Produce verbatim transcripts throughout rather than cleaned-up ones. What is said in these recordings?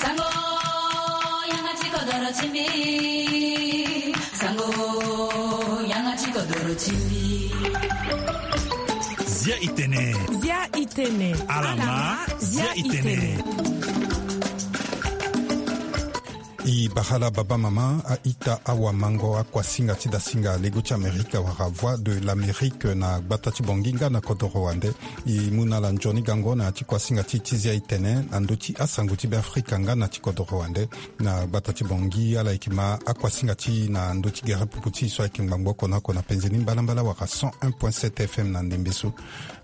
Sango, yanga ti kodoro ti mbi. Sango, yanga ti kodoro ti mbi. Zia itene. Zia itene. Alama, zia itene. I bara la baba mama, a-ita, awamango, akuasinga ti dasinga lego ti Amerika wala Voix de l'Amérique na gbata ti Bangui nga na kodoro wande. I mu na ala nzoni gango na ya ti kuasinga ti, ti zia itene na ndö ti asango ti Beafrika nga na ti kodoro wande. Na gbata ti Bangui, ala yeke ma akuasinga ti e na ndö ti gere pupu ti e so ayeke ngbangbo oko na oko na penze ni mbalambala wala cent un point sept F M na ndembe so.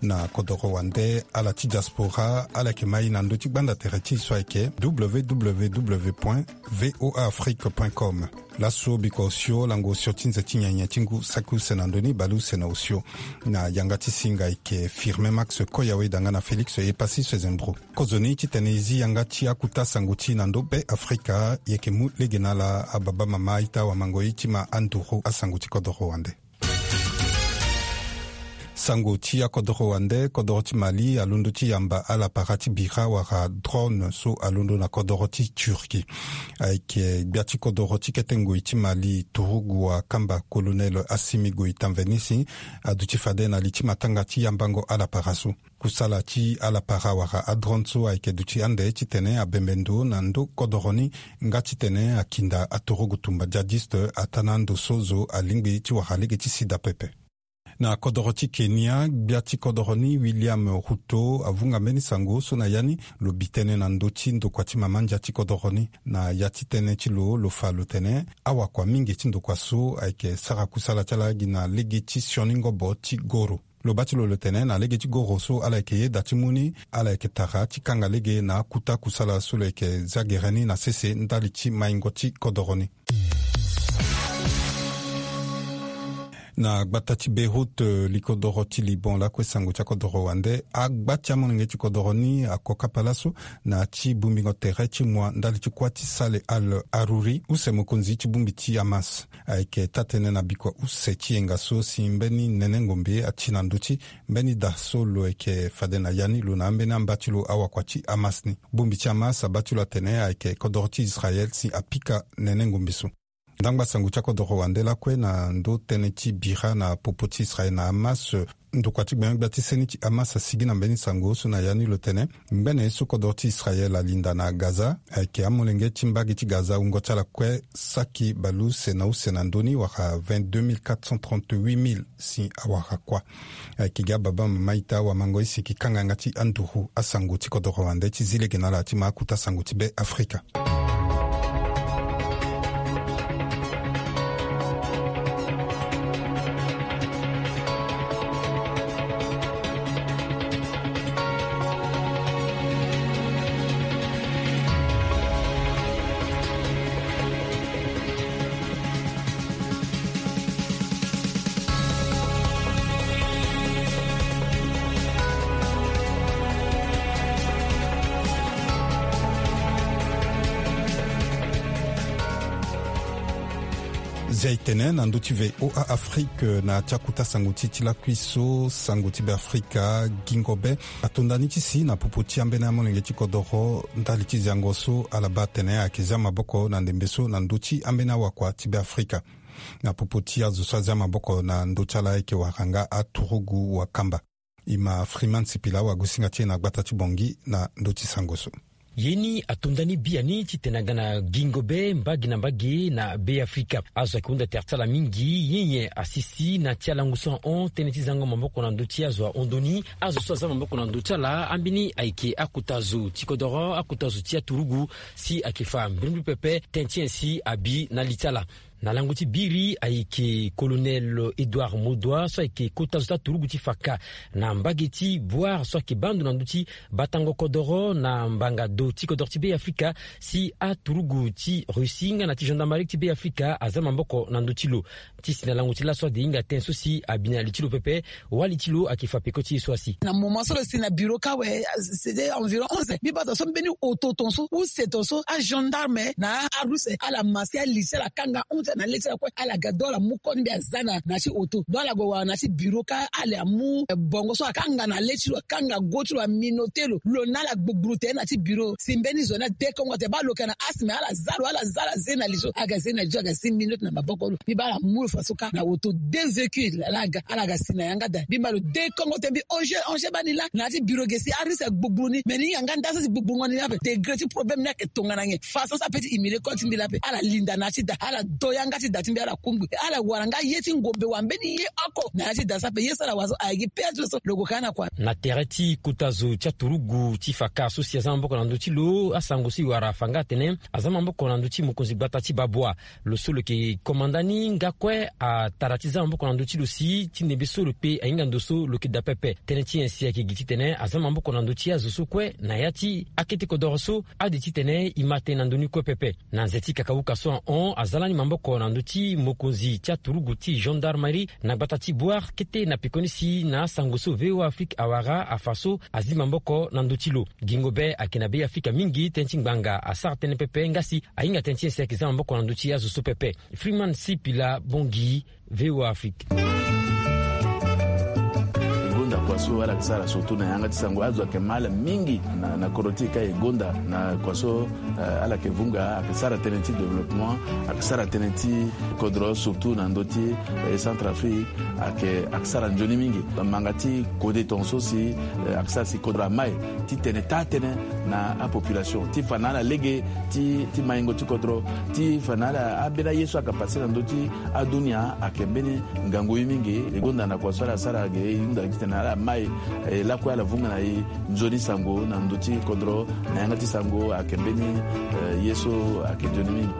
Na kodoro wande, ala ti diaspora, ala yeke ma e na ndö ti gbanda tere ti e so ayeke W W W point V O A Afrique point com. Laso bikua osio, lango osio ti nze ti nyenye ti ngu, saki use na ndö ni, bale use na osio. Na yanga ti singa ayeke Firmin Max Koya Weda nga na Félix Epassi Sezembro. Kozoni titene e zi yanga ti akuta sango ti e na ndö Beafrika, e yeke mu lege na ala ababa mama, a-ita, awamango, e ti ma anduru asango ti kodoro wande. Sango ti akodoro wande, kodoro ti Mali alondo ti yamba ala para ti bira wala drone so alondo na kodoro ti Turquie. Ayeke gbia ti kodoro ti kete ngoi ti Mali, Turugu Wakamba, Colonel Assimi Goïta Mvenisi, aduti fade na li ti matanga ti yambango ala para so. Kusala ti ala para wala adrone so ayeke duti ande titene abembe ndo na ndö kodoro ni, nga titene akinda aturugu tumba djihadiste ataa na ando so zo alingbi ti wara lege ti sida pepe. Na kodoro ti Kenya, gbia ti kodoro ni, William Ruto, avunga mbeni sango so na ya ni lo bi tënë na ndö ti ndokua ti mama ndia ti kodoro ni. Na ya ti tënë ti lo, lo fa lo tene awakua mingi ti ndokua so ayeke sara kusala ti ala gi na lege ti sioni ngobo ti goro. Lo baa ti lo lo tene na lege ti goro so ala yeke yeda ti mu ni, ala yeke tara ti kanga lege na akuta kusala so lo yeke za gere ni na sese ndali ti maingo ti kodoro ni. Na gbata ti Beyrouth, eh, likodoro ti Liban, lakue sango ti akodoro wande, agba ti amolenge ti kodoro ni ako kapa laso na ti bongbingo tere ti mua ndali ti kuâ ti Saleh Al-Arouri, use mokonzi ti bongbi ti Hamas. Ayeke taa-tënë na bikua use ti yenga so si mbeni nene ngombe ati na ndö ti mbeni da so lo yeke fade na ya ni, lo na ambeni amba ti lo awakua ti Hamas ni. Bongbi ti Hamas abaa ti lo atene ayeke kodoro ti Israel si apika nene ngombe so. Ndangba sango ti akodoro wande lakue na ndö tënë ti bira na popo ti Israel na Hamas. Ndokua ti gbengbe gbia ti seni ti Hamas asigi na mbeni sango so na ya ni lo tene ngbene so kodoro ti Israel alinda na Gaza, ayeke amolenge ti mbage ti Gaza wungo ti ala kue saki baleuse na use na ndö ni wala vingt-deux mille quatre cent trente-huit mille si awara kuâ. Ayeke gi ababa mama, a-ita, awamango, e si e yeke kanga yanga ti anduru asango ti kodoro wande ti zi lege na ala ti ma akuta sango ti Beafrika. Zia e tene na ndö ti V O A Afrique na ti akuta sango ti e ti lakui so, sango ti Beafrika, gingo be atonda ni ti si na popo ti ambeni amolenge ti kodoro ndali ti ziango so ala baa atene ayeke zia maboko na ndembe so na ndö ti ambeni awakua ti Beafrika. Na popo ti azo so azia maboko na ndö ti ala ayeke wara nga aturugu wakamba. E ma Freeman Sipila, wagosinga ti e na gbata ti Bangui, na ndö ti sango so. Ye ni atonda ni biani titene aga na gingo be mbage na mbage na Beafrika. Azo ayeke hunda tere ti ala mingi. Ye nyen asisi na ti alango so ahon tënë ti zango maboko na ndö ti azo ahondo ni? Azo so azia maboko na ndö ti ala, ambeni ayeke akota zo ti kodoro, akota zo ti aturugu, si ayeke fa mbirimbiri pepe tënë ti nyen si abi na li ti ala. Na lango ti biri ayeke Colonel Edouard Modoua, so ayeke kota zo ti aturugu ti fa ka na mbage ti Bouar, so ayeke baa ndo na ndö ti batango kodoro na mbanga do ti kodoro ti Beafrika, si aturugu ti Russie nga na ti gendarmerie ti Beafrika azia maboko na ndö ti lo. Ti si na lango ti laso ade hinga tënë so si abi na li ti lo pepe, wali ti lo ayeke fa peko ti e so asi. Na moment so lo si na bureau ka awe, c'était environ onze. Mbi baa tongaso mbeni oto tongaso, use tongaso, agendarme na arusse ala ma si ali ti ala kanga. na le ti ala kue. Ala ga do ala mu koni mbi aza na na ti auto do ala gue wara na ti bureau ka ala amu bongo so akanga na le ti lo, akanga go ti lo, aminote lo. Lo na ala gbugburu tere na ti bureau si mbeni zo ni adekongo tere baa lo yeke na asthme, ala za lo, ala za, ala ze na li so. Aga ze na li so, aga si minote na maboko lo. Mbi baa ala mu lo faso ka na auto de véhicule ala ga, ala ga si na yanga da. Mbi ma lo dekongo tere mbi onge onge baa ni laa na ya ti bureau ge si arisque agbugburu ni. Me ni yanga nda so si gbugburu ngo ni ni ape degré ti problème ni ayeke tongana nyen? Façon so ape ti humilier koli ti mbi laa ape. Ala linda na ya ti da, ala do yanga ti da ti mbi, ala kungbi, ala wara nga ye ti ngombe wa mbeni ye oko na ya ti da so ape. Ye so ala wara so aye gi pe ya ti lo so lo gue ka na kua. Na tere ti kota zo ti aturugu ti faka so si aza maboko na ndö ti lo, asango so e wara afa nga atene aza maboko na ndö ti mokonzi gbata ti Babwa. Lo so lo yeke komanda ni nga kue atara ti za maboko na ndö ti lo si ti ndembe so lo kpe ahinga ndo so lo yeke daa pepe. Tënë ti nyen si ayeke gi titene aza maboko na ndö ti azo so kue na ya ti akete kodoro so? Ade titene e ma tënë na ndö ni kue pepe. Na nze ti kakauka so ahon, aza lani maboko na ndö ti mokonzi ti aturugu ti gendarmerie na gbata ti Bouar kete na pekoni si na asango so V O A Afrique awara afa so azi maboko na ndö ti lo. Gingo be ayeke na Be Afrika mingi tënë ti ngbanga asara tënë pepe nga si ahinga tënë ti nyen si ayeke za maboko na ndö ti azo so pepe. Freeman Sipila Bongi, V O A Afrique. E gonda kua so ala yeke sara surtout na yanga ti sango, azo ayeke ma ala mingi na, na kodro ti e ka e gonda na kua so, eh, ala yeke vunga, ayeke sara tënë ti développement, ayeke sara tënë ti kodro surtout na ndö ti, eh, Centrafrique, ayeke, ayeke sara nzoni mingi. Manga ti kode tongaso si, eh, ayeke sara si kodro amai titene taa tënë na apopulation ti fa na ala lege ti, ti maingo ti kodro, ti fa na ala, ambeni aye so ayeke pase na ndö ti adunia ayeke mbeni ngangu ye mingi. E gonda na kua so ala sara ge, e hunda gi titene ala mai, eh, lakue ala vunga na e nzoni sango na ndö ti kodro, na yanga ti sango ayeke mbeni, eh, ye so ayeke nzoni mingi.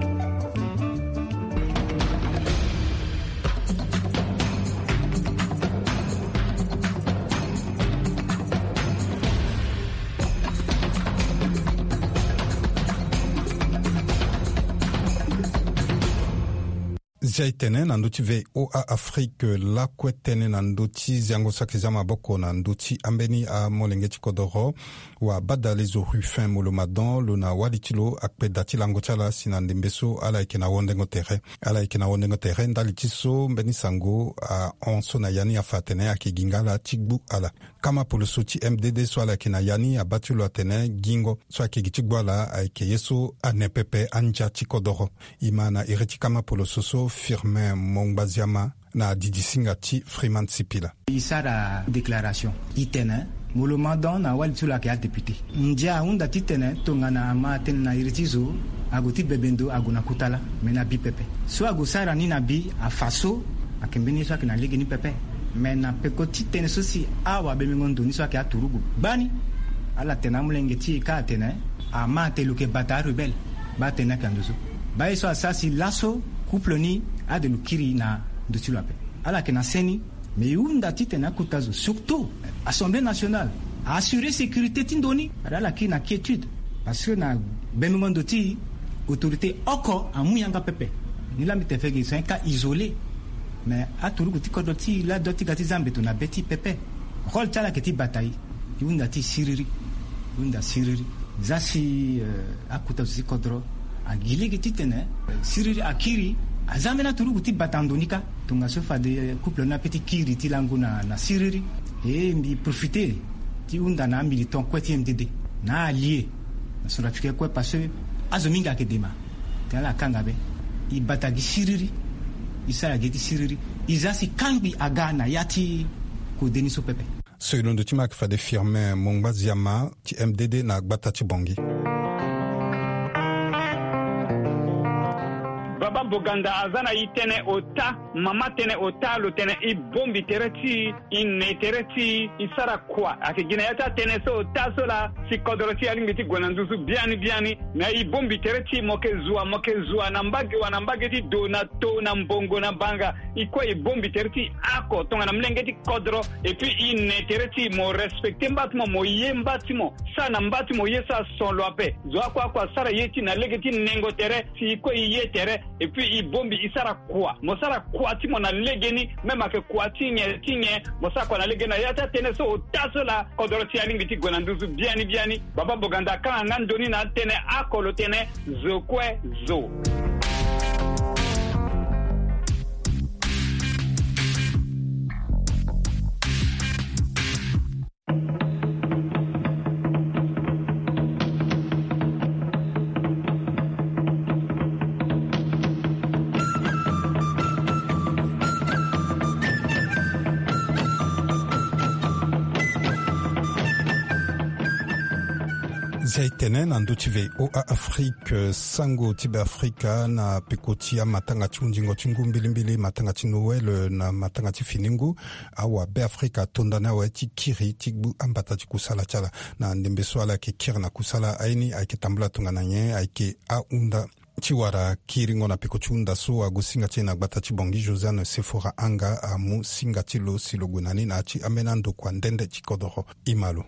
Zia e tene na ndö ti V O A Afrique lakue tënë na ndö ti ziango so ayeke za maboko na ndö ti ambeni amolenge ti kodoro. Wa badale zo Rufin Molomadon, lo na wali ti lo akpe da ti lango ti ala si na ndembe so ala yeke na wondengo tere. Ala yeke na wondengo tere ndali ti so mbeni sango ahon so na ya ni afa atene ayeke gi nga ala ti gbu ala. Kama poloso ti M D D so ala yeke na ya ni abaa ti lo atene gingo so ayeke gi ti gbu ala ayeke ye so ane pepe andia ti kodoro. E ma na iri ti kama poloso so Firmin Mongbaziama na didi singa ti Freeman Sipila. E sara déclaration, e tene Molomadon na wali ti lo ayeke adéputé. Ndia ahunda titene tongana ama tënë na iri ti zo, ague ti bebe ndo ague na kota laa, me na bi pepe. So ague sara ni na bi afa so, ayeke mbeni ye so ayeke na lege ni pepe. Me na peko ti tënë so si awabemengo ndo ni so ayeke aturugu gbani, ala tene amolenge ti e ka atene ama atene lo yeke bata arebelle. Baa tënë ayeke na ndo so. Baa ye so asara si laso couple ni ade lo kiri na ndo ti lo ape. Ala yeke na se ni. Me e hunda titene akota zo, surtout Assemblée nationale, a assurer sécurité ti ndo ni. Ala ala kiri na quiétude. Parce que na bemengo ndo ti autorité oko amu yanga pepe. Ni laa mbi tene fege c'est un cas isolé. Mais aturugu ti kodro ti e laa do ti ga ti za mbeto na be ti e pepe. Rôle ti ala ayeke ti bata e. E hunda ti e siriri. E hunda siriri. Za si, euh, akota zo ti kodro agi lege titene siriri akiri. Aza ambeni aturugu ti bata ndo ni kâ. Tongaso fade couple ni ape ti kiri ti lango na, na siriri. E mbi profiter ti hunda na amilitant kue ti M D D, na aallié na centrafricain kue, parce que azo mingi ayeke dema. Tene ala kanga be. E bata gi siriri. E sara gi ye ti siriri. E za si kangbi aga na ya ti kode ni so pepe. So e londo ti ma ayeke fade Firmin Mongbaziama ti M D D na gbata ti Bangui. Baba Boganda aza na e tënë ota, mama tënë ota, lo tene e bongbi tere ti e, e ne tere ti e, e sara kua. Ayeke gi na ya ti atënë so ota so laa si kodro ti e alingbi ti gue na nduzu biani biani. Na e bongbi tere ti e, mo yeke zua, mo yeke zua na mbage wa na mbage ti do na to na mbongo na banga. E kue e bongbi tere ti e oko tongana molenge ti kodro. Et puis e ne tere ti e, mo respecter mba ti mo, mo ye mba ti mo, sara na mba ti mo ye so ason lo ape. Zo oko oko asara ye ti e na lege ti nengo tere, si e kue e ye tere. Et puis e bongbi e sara kua, mo sara kua ti mo na legeni. Même ayeke kua ti nyen ti nyen, mo sara kua na legeni na ya ti atënë so ota so laa kodro ti e alingbi ti gue na nduzu biani biani. Baba Boganda akanga nga ndo ni na atënë oko, lo tene zo kue zo. Zia e tene na ndö ti VOA Afrique, sango ti Beafrika na peko ti amatanga ti hundingo ti ngu mbilimbili, matanga ti Noël na matanga ti fini ngu, awabeafrika ato ndani awe ti kiri ti gbu ambata ti kusala ti ala. Na ndembe so ala yeke kiri na kusala aye ni ayeke tambula tongana nyen ayeke ahunda ti wara kiringo na peko ti hunda so ague singa ti e na gbata ti Bangui. Josiane Sefora Anga amu singa ti lo si lo gue na ni na ya ti ambeni andokua nde nde ti kodoro. E ma lo.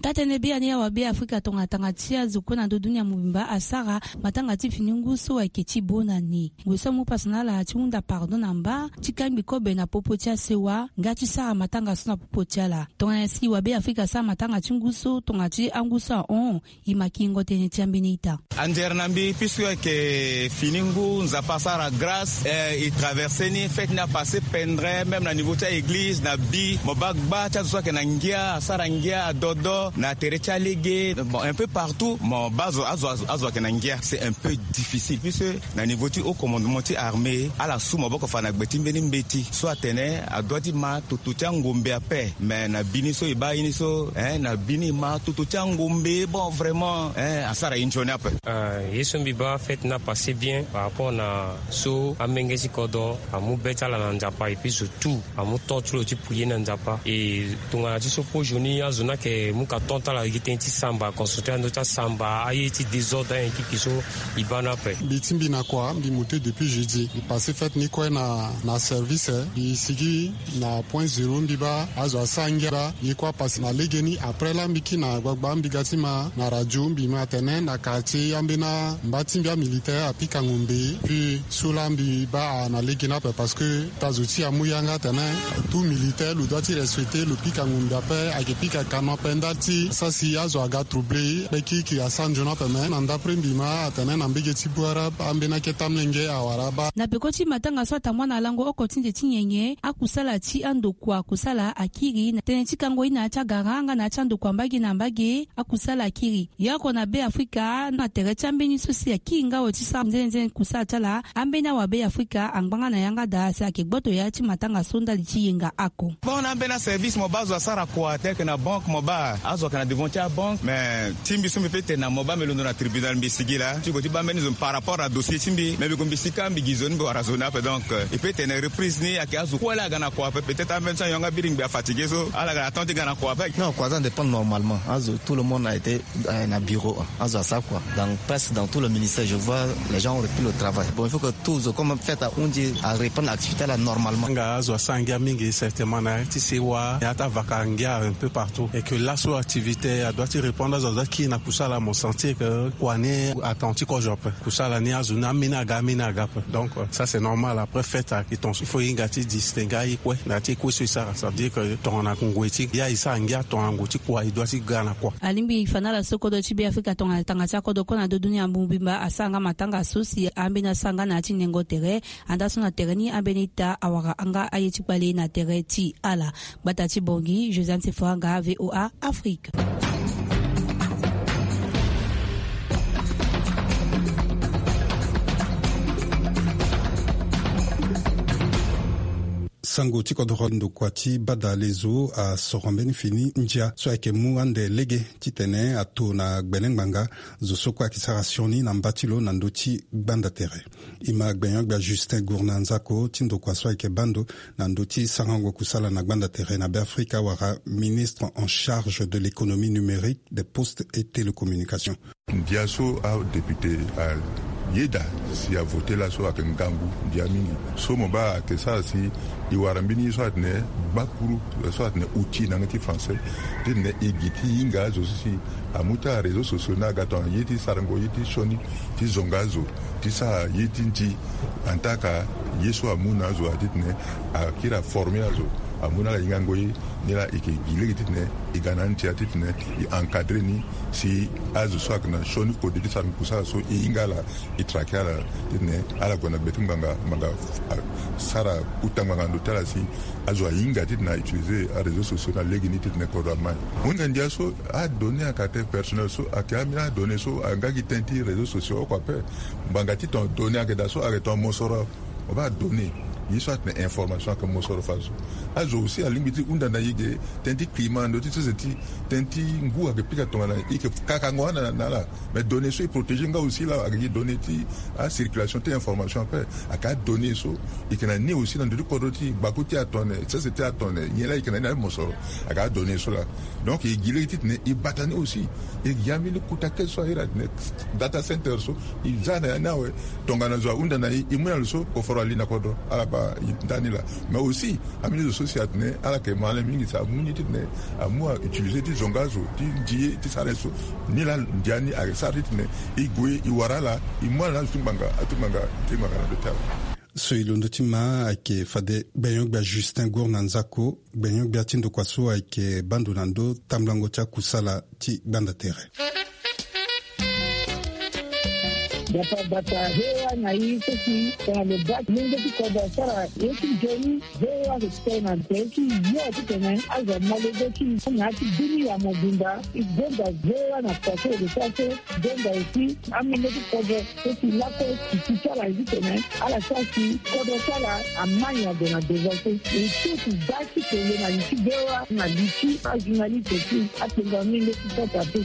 Taa-tënë biani awabeafrika tongana tanga ti azo kue na ndö dunia mobimba asara matanga ti fini ngu so ayeke ti bo na ni. Gue so amu pasa na ala ti hunda pardon na mba ti kangbi kobe na popo ti asewa nga ti sara matanga so na popo ti ala. Tongana si wabeafrika asara matanga ti ngu so tongana ti angu so ahon, e ma kiringo tënë ti ambeni ita. Anzere na mbi, puisque ayeke fini ngu, Nzapa asara grâce, eh, e traverse ni, fête ni apasse pendre, même na niveau ti a-église, na bi, mo baa gba ti azo so ayeke na ngia, asara ngia, adodo, na tere ti alege, bon, un peu partout, mo baa azo, azo, azo, azo ayeke na ngia. C'est un peu difficile, puisque na niveau ti haut commandement ti armée, ala su maboko fa na gbe ti mbeni mbeti, so atene, adua ti ma toto ti angombe ape, mais na bi ni so e baa ye ni so, hein, na bi ni e ma toto ti angombe, bon, vraiment, hein, asara ye nzoni ape. Ah, ye so mbi baa fête ni apasse bien par rapport na so amenge ti kodro amu be ti ala na Nzapa, et puis surtout amu temps ti lo ti prier na Nzapa. Et tongana ti so pozo ni azo ni ayeke mu ka temps ti ala gi tënë ti samba, concentré na ndö ti asamba, aye ti désordre, aye kiki so e baa ni ape. Mbi ti mbi na kua, mbi monté depuis jeudi. Mbi passé fête ni kue na, na service, eh. Mbi sigi na point zéro, mbi baa azo asara ngia. Ye kue apasse na legeni. Après laa mbi kiri na gbagba, mbi ga ti ma na radio, mbi ma atene na quartier ambeni amba ti mbi amilitaire apika ngombe. Puis so laa mbi baa na legeni ape parce que ta zo ti e amu yanga atene tout militaire lo doit ti respecter, lo pika ngombe ape, ayeke pika canon ape, ndali ti sara si azo aga trouble. Be kiri kiri asara nzoni ape, me na ndapre mbi ma atene na mbege ti Bouarab, ambeni akete amolenge awara baa. Na peko ti matanga so atambula na lango oko ti nze ti nyenye, akusala ti andokua kusala akiri na tënë ti kango ye na ya ti agara nga na ya ti andokua mbage na mbage, akusala akiri. Ye oko na Beafrika, na tere ti ambeni so si akiri nga awe ti sara nzenzen kusala ti ala, ambeni awabeafrika angbanga na yanga daa si ayeke gboto ya ti matanga so ndali ti yenga oko. Bon, na ambeni aservice mo baa azo asara kua, tel que na banque mo baa azo ayeke na devant ti abanque, mais ti mbi so mbi peut tene na mo baa mbi londo na tribunal, mbi sigi laa ti gue ti baa mbeni zo par rapport na dossier ti mbi, mais mbi gue mbi si kâ mbi gi zo ni mbi wara zo ni ape. Donc, euh, e peut tene reprise ni ayeke azo kue laa aga na kua ape, peut-être ambeni so ayonga biri ngbi afatigué so ala ga na temps ti ga na kua ape. Non, kua aza dépend normalement. Azo, tout le monde a été, euh, na bureau, hein. Azo asara kua. Dans, presque dans tout le ministère, je vois les gens ont repris le travail. Bon, il faut que tout zo comme fête ahundi areprendre activité là normalement. Nga azo asara ngia mingi certainement na ya ti sewa, ya ti avaka ngia un peu partout. Et que laso activité adoit ti reprendre, azo adoit kiri na kusala, mo sentir que kua ni attendu ti kozo ape. Kusala ni azo ni ameni aga, ameni aga ape. Donc, euh, ça c'est normal. Après fête ayeke tongaso, il faut e hinga ti distinguer aye kue na ya ti e kue so e sara. Ça veut dire que tongana ngoi ti ya e sara ngia, tongana ngoi ti kua e doit ti ga na kua. Alingbi e fa na ala so kodro ti Beafrika tongana tanga ti akodro kue na ndö dunia mobimba asara nga matanga so si ambeni asara nga na ya ti nengo tere. Andaa so na tere ni ambeni ita awara nga aye ti kpale na tere ti ala. Gbata ti Bangui, Josiane Sefora Anga, VOA Afrique. Sango ti kodoro ndokua ti bada lezo asoro mbeni fini ndia so ayeke mu ande lege titene ato na gbele ngbanga zo so kue ayeke sara sioni na mba ti lo na ndö ti gbanda tere. E ma gbenyo-gbia Justin Gourna Nzako ti ndokua so ayeke baa ndo na ndö ti sarango kusala na gbanda tere na Beafrika wala ministre en charge de l'économie numérique, des postes et télécommunications. Ndia so adéputé ayeda si avoté laso ayeke ngangu ndia mingi. So mo baa ayeke sara si e wara mbeni ye so atene gbakuru, so atene outil na yanga ti français, titene e gi ti hinga azo so si amu ti aréseaux sociaux ni aga tongana ye ti sarango ye ti sioni, ti zonga azo, ti sara ye ti nzi. Antaka ye so amu na azo atitene akiri aformer azo, amu na ala hingango ye. Ni laa e yeke gi lege titene e ga na antia titene e encadrer ni si azo so ayeke na sioni kode ti sara kusala so e hinga ala, e traquer ala titene ala gue na gbe ti ngbanga, ngbanga, ah, sara kota ngbanga na ndö ti ala si azo ahinga titene autiliser aréseaux sociaux na lege ni titene kodro amai. Mo hinga ndia so adonnée à caractère personnel so ayeke ambeni adonnée so ayeke nga gi tënë ti réseaux sociaux oko ape. Ngbanga ti tongana donnée ayeke daa so ayeke tongana mosoro. Mo baa donnée. Ni so atene information ake mosoro faso. Azo aussi alingbi ti hunda na ye ge, tënë ti climat na ndö ti sese ti tënë ti ngu ake pika tongana ye ke kakango ana na ala. Mais données so e protéger nga aussi la ake gi données ti acirculation ti information ape. Ake adonnées so e ke na ni aussi na ndö ti kodro ti gbaku ti atone sese ti atone nyen la e ke na ni na mosoro. Ake adonnées so la. Donc e gi lege titene e bata ni aussi. E gi ambeni kota kete so ahiri atene data center so e za na ya ni awe. Tongana zo ahunda na e e mu na lo so koforo ali na kodro ala baa ndani laa. Mais aussi ambeni zo so si atene ala yeke ma ala mingi si amu ni titene amu autiliser ti zonga zo ti ndi ye ti sara ye so. Ni laa ndia ni ayeke sara titene e gue e wara ala e mu ala na azo ti ngbanga atu ngbanga ti ngbanga na ndo ti ala. So e londo ti ma ayeke fade gbenyo-gbia Justin Gour na Nzako. Gbenyo-gbia ti ndokua so ayeke baa ndo na ndo tambulango ti akusala ti gbanda tere. Bata bata he wa na i so si tongana lo baa ti lenge ti kodro asara ye ti nzoni. He wa ke ti tene na tere ti yo titene azo amolenge ti na ya ti bini ya mobimba. E gonda he wa na kua so e ke sara so. Gonda aussi amolenge ti kodro so si lakue titi ti ala ye titene ala sara si kodro ti ala amai ade na devant so. E so si baa ti tene na li ti he wa na li ti ajournaliste ti atengo amolenge ti sota pe.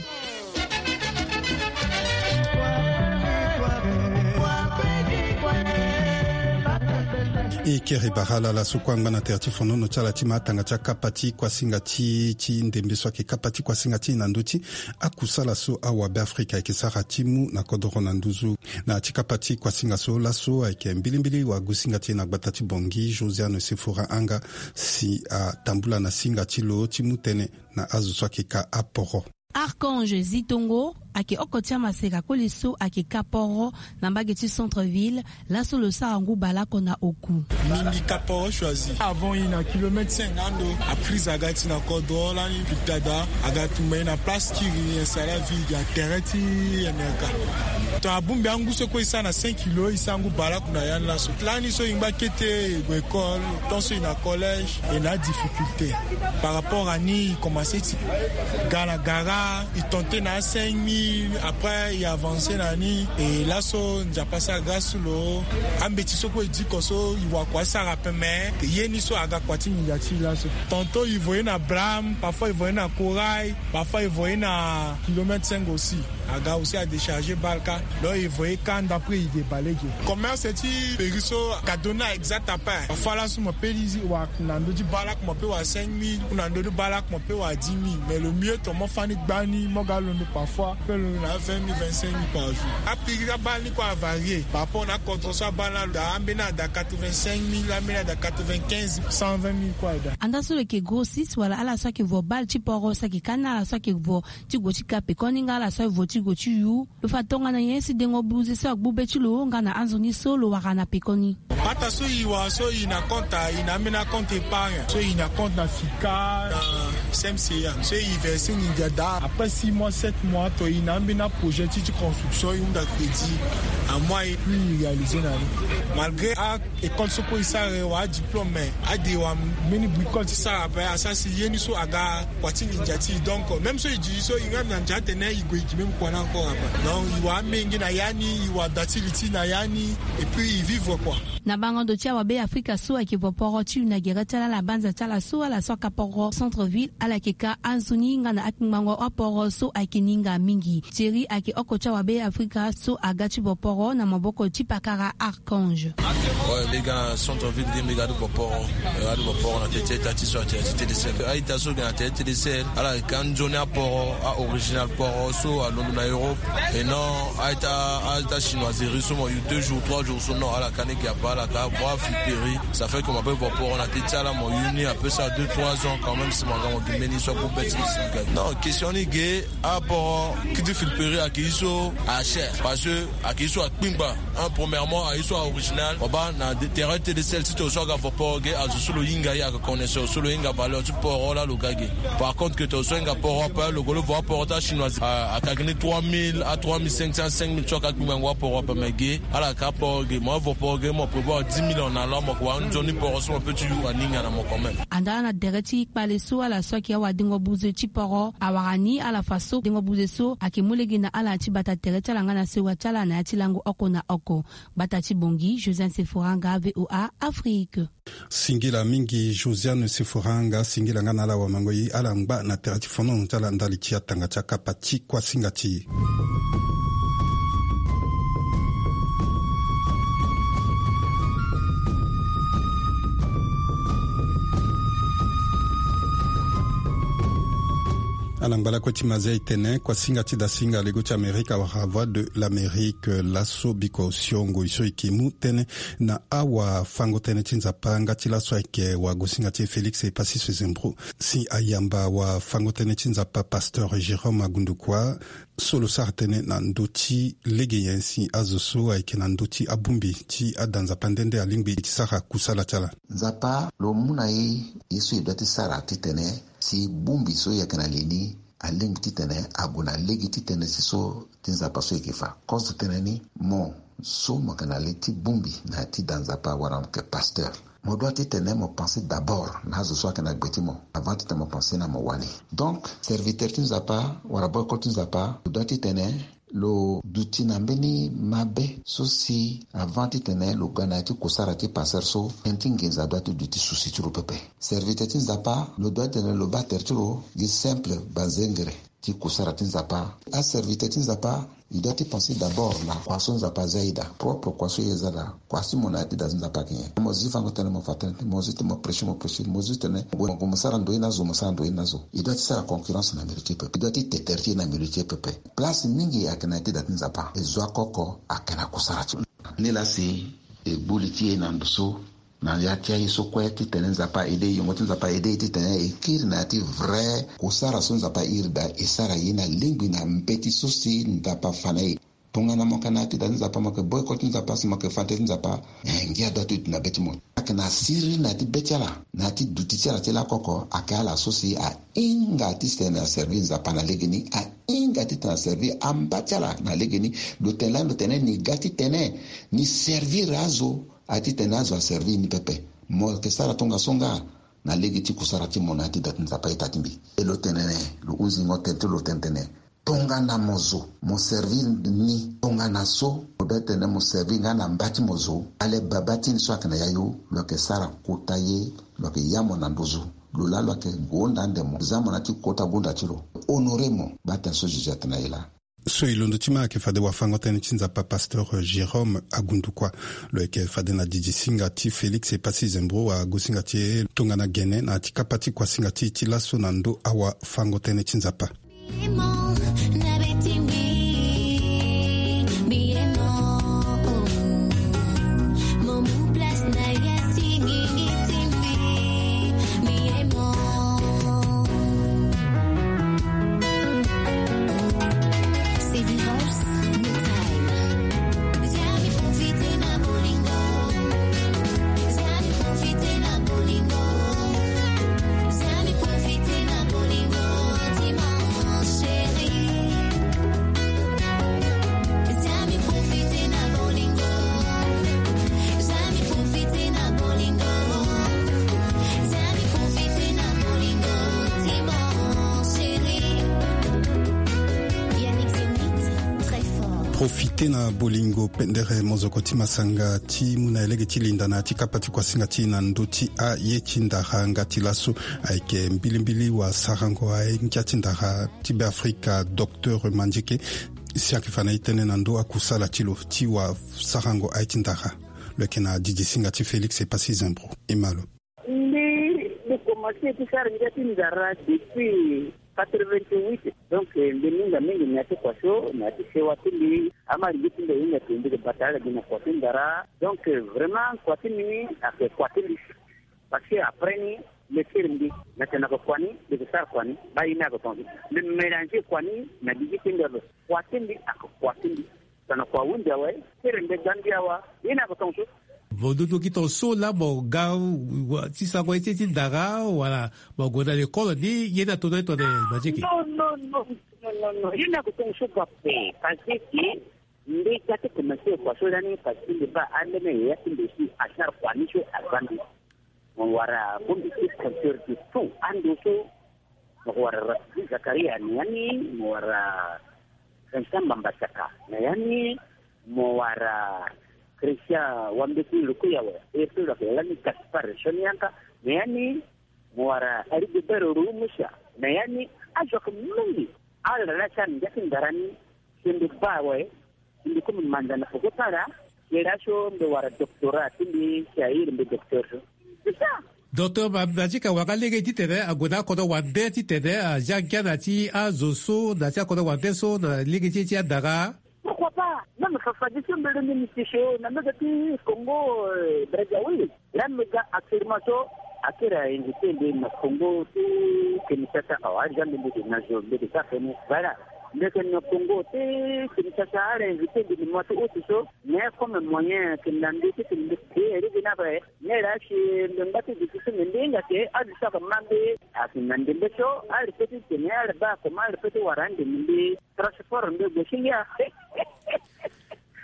E kiri bara ala ala so kue angba na tere ti fonono ti ala ti ma atanga ti akapa ti kuasinga ti ti ndembe so ayeke kapa ti kuasinga ti e na ndö ti akusala so awabe afrika ayeke sara ti mu na kodoro na nduzu. Na ya ti kapa ti kuasinga so laso ayeke mbilimbili wagusinga ti e na gbata ti Bangui Josiane Sefora Anga si atambula na singa ti lo ti mu tënë na azo so ayeke ka aporo. Archange Zitongo ayeke oko ti amaseka koli so ayeke ka poro na mbage ti centre ville. Laso lo sara ngu baleoko na oku. Mingi ka poro choisi avant i na kilomètre cinq na ando. Aprise aga ti na kodro lani pitada aga tumba i na place kiri installa vie ya tere ti amerika. To abongbi angu so kue i sara na cinq kilo i sara ngu baleoko na ya ni laso. Lani so i ngba kete i gue école tant so i na collège. E na difficulté par rapport à ni i commencé ti ga na gara i tente na cinq mille après i avancé na ni. E laso nzapa asara grâce ti lo. Ambeti so kue e diko so i wa kua asara ape mais ye ni so aga kua ti nginza ti i laso. Tantôt i voye na blâme, parfois i voye na corail, parfois i voye na kilomètre cinq aussi. Aga aussi adécharger baleoko. Donc i voye ka ndapre i ke baleoko. Commerce ti péri so aga donner exact ape. Parfois laso mo pe lizi wa na ndö ti baleoko mo pe wa cinq mille ou na ndö ti baleoko mo pe wa dix mille mais le mieux to mo fani gbani mo ga londo parfois pe londo na vingt mille vingt-cinq mille par jour. Apiri abale ni kue avarier par rapport na akodro so abale ni alo daa ambeni ada quatre-vingt-cinq mille ambeni ada quatre-vingt-quinze mille cent vingt mille kue ada. Anda so lo yeke grossiste wala ala so ayeke vo bale ti poro so ayeke ka ni ala so ayeke vo ti gue ti ka pekoni nga ala so aye vo ti gue ti yu. Lo fa tongana nyen si dengo buze so agbu be ti lo nga na anzoni so lo wara na pekoni. Pata so i wara so i na compte i na ambeni acompte épargne so i na compte na fica na cmca so i verse ni ndia daa après six mois sept mois to i na ambeni aprojet ti ti construction i hunda crédit. Amois i puis i réaliser na ni malgré a école so kue i sara e wara adiplôme mais ade wa mbeni bricole ti sara ape asara si ye ni so aga kua ti nginza ti i donc même so i di so i nga na ndia atene i gue i gi même kua ni encore ape. Donc i wara amenge na ya ni i wara da ti li ti na ya ni. Et puis i vivre kua. Na bango ndo ti awabe afrika so ayeke vo poro ti una gere ti ala na banza ti ala so ala so aka poro centre ville ala yeke ka anzoni nga na akpingbango aporo so ayeke ninga mingi. Thierry ayeke oko ti awabe afrika so aga ti vo poro na maboko ti pakara archange. Oyo mbi ga na centre ville ge mbi ga ti vo poro. Ga ti vo poro na tete ita ti so atene ti tdcl aita so ge na tete tdcl ala yeke anzoni aporo a original poro so alondo na europe. Et non aita aita chinoiserie so mo yu deux jours trois jours so non ala ka ni ge ape ala ka voir flipperie. Ça fait que mo ape vo poro na tete ti ala mo yu ni ape sara deux trois ans quand même si mo aga mo gi mbeni so agu be ti lo si ga non question ni ge. Aporo ki ti flipperie ayeke ye so acher parce que ayeke ye so akpingba. Un premièrement ayeke ye so aoriginal mo baa na terrain tdcl ti to so aga vo poro ge azo so lo hinga ye ayeke connaisseur so lo hinga valeur ti poro laa lo ga ge. Par contre ke to so ahinga poro ape lo gue lo vo aporo ti achinoise ayeke gi ni trois mille a trois mille cinq cents cinq mille so ayeke akpingbango aporo ape mais ge ala yeke aporo ge mo avo poro ge mo prévoir Dix millions na lo amo kua nzoni poro so mo pe ti yu aninga na mo quand même. Anda na tere ti kpale so ala so ayeke awadengo buze ti poro awara ni ala fa so dengo buze so ayeke mu lege na ala na ti bata tere ti ala nga na sewa ti ala na ya ti lango oko na oko. Bata ti bongi Josiane Sephora nga, VOA Afrique. Singila mingi Josiane Sephora nga, singila nga na ala wamango ye ala ngba na tere ti fonono ti ala ndali ti atanga ti akapa ti kuasinga ti e. Ala ngba lakue ti mazia e tene kuasinga ti dasinga lego ti Amerika wala Voix de l'Amérique laso biko siongo e so e ke mu tënë na awafango-tënë ti Nzapa nga ti laso ayeke wagosinga ti e Félix Epassis Zembro. Si ayamba wafango-tënë ti Nzapa pasteur Jérôme Agundukua so lo sara tënë na ndö ti lege nyen si azo so ayeke na ndö ti abongbi ti ada Nzapa nde nde alingbi ti sara kusala ti ala. Nzapa lo mu na e ye so e doit ti sara titene si bongbi so e yeke na li ni alingbi titene ague na lege ti tënë ti so ti Nzapa so e yeke fa. Kozo tënë ni, mo so mo yeke na li ti bongbi na ya ti da Nzapa wala mo yeke pasteur, mo doit titene mo pense d'abord na azo so ayeke na gbe ti mo avant titene mo pense na mo wani. Donc serviteur ti Nzapa wala boycott ti Nzapa lo doit titene lo duti na mbeni mabe so si avant titene lo ga na ya ti kusara ti pasteur so, tënë ti nginza doit ti duti souci ti lo pepe. Serviteur ti Nzapa lo doit titene lo baa tere ti lo gi simple banzengere ti kusara ti Nzapa. Aserviteur ti Nzapa, e doit ti pense d'abord na kua so Nzapa aza e daa, propre kua so e za daa, kua si mo na ya ti da ti Nzapa ayeke nyen. Mo zi fango tënë mo fa tënë, mo zi ti mo prêcher mo prêcher, mo zi titene mo gue mo sara ndoye na azo, mo sara ndoye na azo. E doit ti sara concurrence na milieu ti e pepe, e doit ti te tere ti e na milieu ti e pepe. Place mingi ayeke na ya ti da ti Nzapa, e zo oko oko ayeke na kusara ti lo. Nilaa si e gbu li ti e na ndo so na ya ti aye so kue titene Nzapa aide e, yongo ti Nzapa aide e titene e kiri na ya ti vrai kusara so Nzapa airi daa, e sara ye na lingbi na mbeti so si Nzapa afa na e. Tongana mo yeke na ya ti da ti Nzapa, mo yeke boycott ti Nzapa, si mo yeke fa tënë ti Nzapa, eh, ngia doit ti duti na be ti mo. Ayeke na siriri na ya ti be ti ala, na ya ti duti ti ala ti lakoko, ayeke ala so si ahinga titene aservi Nzapa na legeni, ahinga titene aservi amba ti ala na legeni. Lo tene lani lo tene ni ga titene ni servir azo, a ti tene azo aservi ni pepe. Mo yeke sara tongaso nga na lege ti kusara ti mo na ya ti da ti Nzapa ita ti mbi. E lo tene ni, lo hunzingo tene ti lo tene tene, tongana mo zo, mo servi ni, tongana so mo be tene mo servi nga na mba ti mo zo, ale baba ti ni so ayeke na yayu, lo yeke sara kota ye, lo yeke ya mo na nduzu. Lo laa lo yeke gonda ande mo, za mo na ya ti kota gonda ti lo. Honore mo, baa tene so Jésus atene na e laa. So e londo ti ma ayeke fade wafango-tënë ti Nzapa pasteur Jérôme Agundukua. Lo yeke fade na didi singa ti Félix Epassi Zembro, wagosinga ti e tongana gene na ya ti kapa ti kuasinga ti e ti laso na ndö awafango-tënë ti Nzapa. Profite na bolingo pendere mozoko ti masanga ti mu na e lege ti linda na ya ti kapa ti kuasinga ti e na ndö ti aye ti ndara nga ti laso. Ayeke mbilimbili wasarango aye ngia ti ndara ti Beafrika, docteur Mandieke, si ayeke fa na e tënë na ndö akusala ti lo ti wasarango aye ti ndara. Lo yeke na didi singa ti Félix Epassi Zembro. E ma lo. Mbi, mbi komanse ti sara ngia ti ndara depuis quatre-vingt-huit. Donc, eh, mbi hinga mingi na ya ti kua so, na ya ti sewa ti mbi. Ama lingbi ti mbi ahinga ti mbi bata ala gi na kua ti ndara. Donc, eh, vraiment, kua ti mbi ni ayeke kua ti mbi. Parce que après ni, mbi kiri mbi, mbi tene na kua ni, mbi ke sara kua ni, baa ye ni ayeke tongaso. Mbi mélanger kua ni na gigi ti mbi ape. Kua ti mbi ayeke kua ti mbi. Tongana kua ahunzi awe, kiri mbi ga mbi awa, ye ni ayeke tongaso. Mo dutu gi tongaso laa mo ga, wa, ti sango ye ti, ti ndara, wala mo gue na lekolo ni, ye ni atono ye tongana Mandieke? Non, non, non, non, non, non. Ye ni ayeke tongaso ga ape, parce que Mbi ga ti commencer kua so lani parce que mbi baa ambeni yaya ti mbi si achar kua ni so aza mbi. Mo wara bongbi ti compteur de tout ando so. Mo wara Rasidi Zakaria na ya ni, mo wara Vincent Mbambasaka na ya ni, mo wara Christian Wambeti Lukuyawe, e pe lo yeke lani Gaspard Sonianka na ya ni, mo wara Rigobert Rumusa na ya ni. Azo ayeke mingi. Ala laa si ala na ngia ti ndara ni. Si mbi baa awe, si mbi komi manza na poko ti ala. Ye laa so mbi wara doctorat ti mbi si a iri mbi docteur so. C'est ça. Docteur Ma-, Majika wara lege titene ague na akodro wande titene azia ngia na ti azo so na ti akodro wande so na lege ti e ti andara. Pourquoi pas? Même Fafa Diso mbele ni miti so na mega ti Congo, euh, Brazzaville. Là mega actuellement so akiri a invité mbi na Congo ti Kinshasa. Awa, ari za mbi mbi de na zo mbi de ka feni. Voilà. Mbi yeke na Congo ti Kinshasa, ari invité mbi na mois ti août so. Mais comme moyen ayeke na mbi titene mbi kiri iri gi na ape. Mais là si mbi ngba ti duti so mbi mbi hinga ke azo so ayeke ma mbi ayeke na ndembe so, ari pe titene ari baa comment ari pe ti wara ande na mbi. Transport nde gue si ngia.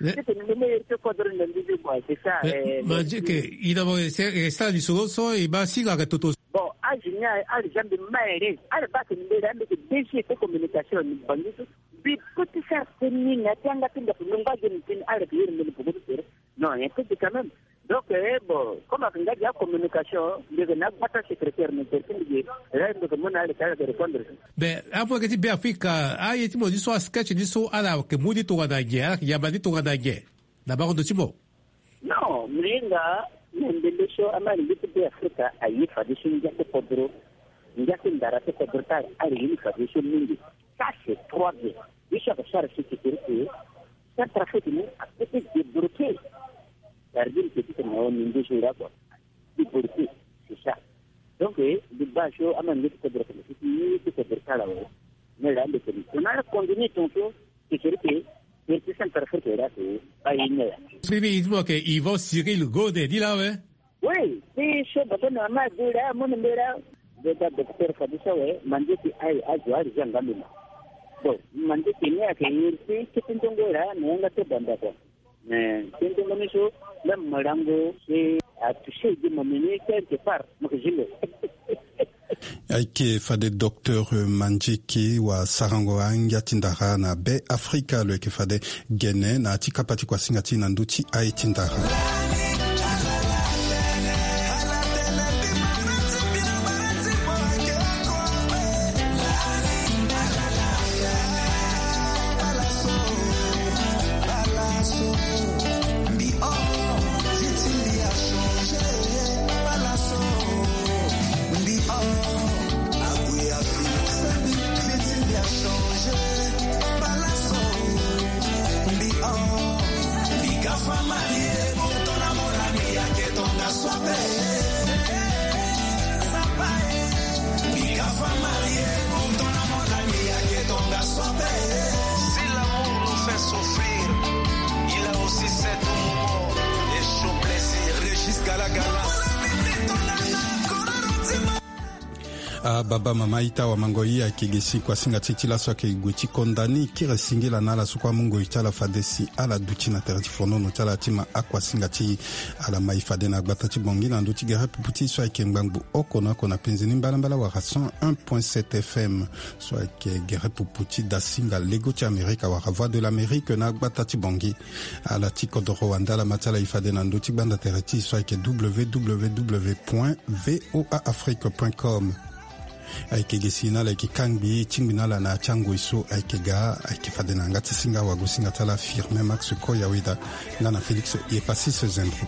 Titene mbi me iri ti kodro na mbi ti bua, c'est ça. Mais, eh, Majike, i na mo, c'est, c'est ça, lisoro so, i baa si nga ke toto. Bon, âge ni, âge za mbi ma ere. Ala baa tene mbi la mbi ke D G ti communication ni bangi so. Mbi pe ti sara teni na ti anga ti ndaku, mbi ngba ge ni teni, ala ke iri mbi ni poko ti tere. Non, un peu quand même. Donc, eh, bon, comme ayeke nga gi acommunication, mbi yeke na agbata secrétaire, mbi tere ti mbi gi, là mbi yeke mu na ala ti ala yeke répondre. Mais amu ayeke ti Beafrika, aye ti mo ni so, asketch ni so, ala yeke mu ni tongana nyen, ala yeke yamba ni tongana nyen na bango ndo ti mo? Non, mbi hinga na ndembe so, amani ngia ti Beafrika aye fadeso ngia ti kodro, ngia ti ndara ti kodro ti ala, ala ye ni fadeso mingi. Ça c'est trois bien. Ye so ayeke sara si ti tere ti Centrafrique ni ape ti débloquer. Gardien petit na o ni ndoso ira kua. Débloquer, c'est ça. Donc, eh, mbi baa so amani ngia ti kodro ti kodro ti ala awe. Mais là mbi tene tongana ala continue tongaso, ti tere ti Centrafrique ira ti aye ni laa. Mbi mbi mo yeke Yvon Cyril Gode ni laa awe. Oui, ti so baba na mama adu laa, amu na mbi laa. Mbi baa docteur fadeso awe, mandieke aye azo ari za nga mbi ma. Bon, mandieke ni ayeke iri ti kete ndongo laa na yanga ti banda kua. Mais kete ndongo ni so, même mo lango si atoucher gi mo meni quelque part, mo yeke zi lo. Ayeke fade docteur, euh, Mandieke wa sarango angia ti ndara na Beafrika, lo yeke fade gene na ya ti kapa ti kuasinga ti e na ndö ti aye ti ndara. Mbi o, vie ti mbi a changer, palaso. Mbi o, ague a fixe mbi, vie ti mbi a changer, palaso. Mbi o, mbi ga fa marie, pourtant na mon ami ayeke tongaso ape. Sapa e, mbi ga fa marie, pourtant na mon ami ayeke tongaso ape. Si l'amour nous fait souffrir, il a aussi ses doux moments et chauds plaisirs. Régis Galagalas. Ah, baba, mama, ita, wamango, i ayeke ge si kuasinga ti e ti laso ayeke gue ti konda ni. Kiri singila na ala so kue amu ngoi ti ala fade si ala duti na tere ti fonono ti ala ti ma akuasinga ti e. Ala ma e fade na gbata ti Bangui na ndö ti gere pupu ti e so ayeke ngbangbo oko na oko na penze ni mbalambala wala cent un point sept F M. So ayeke gere pupu ti dasinga lego ti Amerika wala Voix de l'Amérique na gbata ti Bangui. Ala ti kodoro wande ala ma ti ala e fade na ndö ti gbanda tere ti e so ayeke W W W point V O A Afrique point com. Ayeke ge si na ala yeke kangbi tingbi na ala na ya ti angoi so ayeke ga, ayeke fade na yanga ti singa wagosinga ti ala Firmin Max Koyaweda nga na Félix Yepasis Zembro.